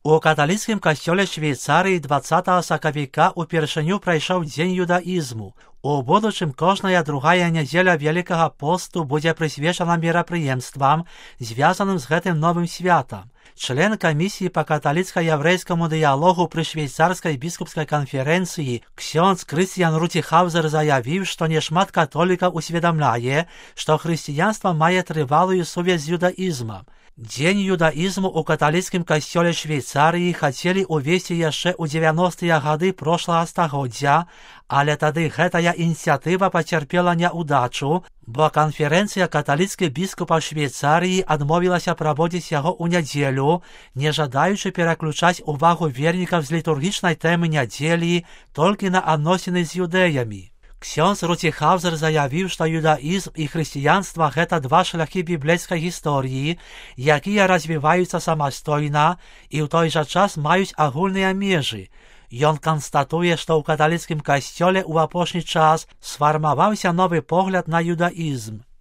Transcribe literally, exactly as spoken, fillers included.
У каталіцкім касцёле Швейцарыі дваццатага сакавіка упершыню прайшоў дзень юдаізму. У будучым кожная другая нядзеля Вялікага посту будзе прысвечана мерапрыемствам, звязаным з гэтым новым святам. Член камісіі па каталіцка-яўрэйскаму дыялогу пры швейцарскай біскупскай канферэнцыі ксёндз Крысціян Руціхаўзер заявіў, што няшмат католікаў усведамляе, што хрысціянства мае трывалую сувязь з юдаізмам. Дзень юдаізму ў каталіцкім касцёле Швейцарыі хацелі ўвесці яшчэ ў дзевяностыя гады прошлага стагоддзя, але тады гэтая ініцыятыва пацярпела няўдачу, бо канферэнцыя каталіцкіх біскупаў Швейцарыі адмовілася праводзіць яго ў нядзелю, не жадаючы пераключаць увагу вернікаў з літургічнай тэмы нядзелі толькі на адносіны з юдэямі. Ксёндз Руціхаўзер заявіў, што юдаізм і хрысціянства – гэта два шляхі біблейскай гісторыі, якія развіваюцца самастойна і ў той жа час маюць агульныя межы. Ён канстатуе, што ў каталіцкім касцёле ў апошні час сфармаваўся новы погляд на юдаізм.